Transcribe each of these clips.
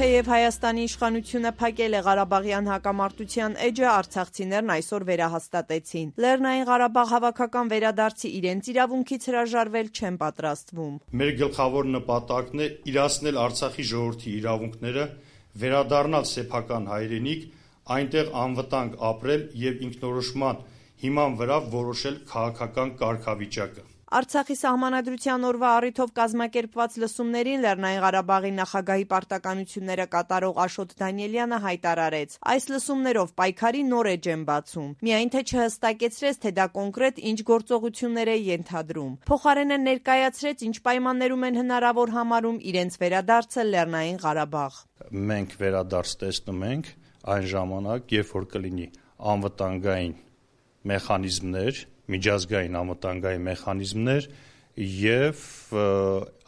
Թեև Հայաստանի իշխանությունը փակել է Ղարաբաղյան հակամարտության էջը, արցախցիներն այսօր վերահաստատեցին. Լեռնային Ղարաբաղ հավաքական վերադարձի իրենց իրավունքից հրաժարվել չեն պատրաստվում։ Մեր գլխավոր նպատակն է իրացնել Արցախի ժողովրդի իրավունքները, վերադառնալ սեփական հայրենիք, այնտեղ անվտանգ ապրել եւ ինքնորոշման հիման վրա որոշել քաղաքական կարգավիճակը։ Արցախի սահմանադրության օրվա առիթով կազմակերպված լսումներին Լեռնային Ղարաբաղի նախագահի պարտականությունները կատարող Աշոտ Դանիելյանը հայտարարեց. այս լսումներով պայքարի նոր էջ են բացում, միայն թե չհստակեցրեց, թե դա կոնկրետ ինչ գործողություններ է ենթադրում։ Փոխարենը ներկայացրեց, ինչ պայմաններում են հնարավոր համարում իրենց վերադարձը Լեռնային Ղարաբաղ։ Մենք վերադարձ տեսնում ենք այն ժամանակ, երբ որ կլինի անվտանգային մեխանիզմներ, միջազգային անվտանգային մեխանիզմներ եւ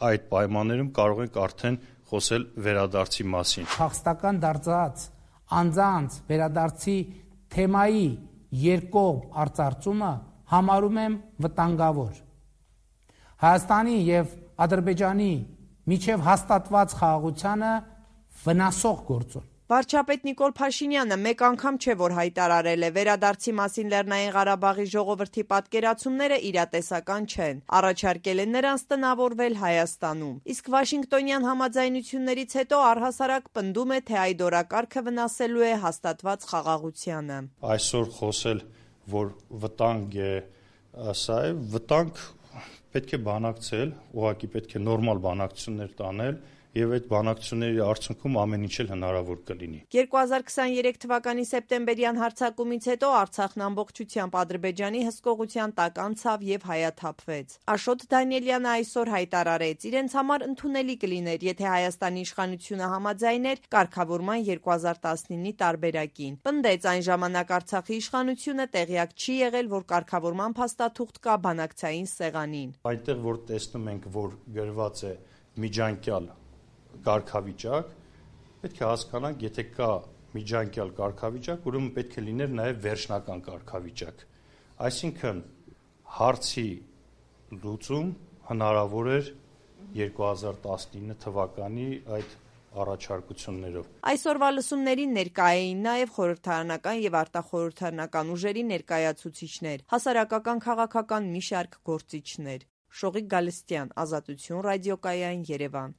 այդ պայմաններում կարող ենք արդեն խոսել վերադարձի մասին։ Փախստական դարձած անձանց վերադարձի թեմայի երկկողմ արծարծումը համարում եմ վտանգավոր։ Հայաստանի եւ Ադրբեջանի միջև հաստատված խաղաղությանը վնասող գործոն։ Վարչապետ Նիկոլ Փաշինյանը մեկ անգամ չէ, որ հայտարարել է, վերադարձի մասին Լեռնային Ղարաբաղի ժողովրդի պատկերացումները իրատեսական չեն, առաջարկել է նրանց տնավորվել Հայաստանում։ Իսկ Վաշինգտոնյան համաձայնություններից հետո առհասարակ պնդում է, թե այդ օրակարգը վնասելու է հաստատված խաղաղությանը։ Այսօր խոսել, որ վտանգ է, սա է, վտանգ պետք է բանակցել, ուղղակի պետք է նորմալ բանակցություններ տանել եւ այդ բանակցությունների արդյունքում ամեն ինչ էլ հնարավոր կլինի։ 2023 թվականի սեպտեմբերյան հարձակումից հետո Արցախն ամբողջությամբ Ադրբեջանի հսկողության տակ անցավ եւ հայաթափվեց։ Աշոտ Դանիելյանը այսօր հայտարարեց, իրենց համար ընդունելի կլիներ, եթե Հայաստանի իշխանությունը համաձայներ կարգավորման 2019-ի տարբերակին։ Պնդեց, այն ժամանակ Արցախի իշխանությունը տեղյակ չի եղել, որ կարգավորման փաստաթուղթ կա բանակցային սեղանին։ Այնտեղ որ տեսնում ենք, որ գրված է միջանկյալ կարգավիճակ, պետք է հասկանանք, եթե կա միջանկյալ կարգավիճակ, ուրեմն պետք է լիներ նաև վերջնական կարգավիճակ։ Այսինքն հարցի լուծում հնարավոր էր 2019 թվականի այդ առաջարկություններով։ Այսօրվա լսումներին ներկա էին նաև խորհրդարանական եւ արտախորհրդարանական ուժերի ներկայացուցիչներ, հասարակական քաղաքական մի շարք գործիչներ։ Շողիկ Գալստյան, Ազատություն ռադիոկայան, Երևան։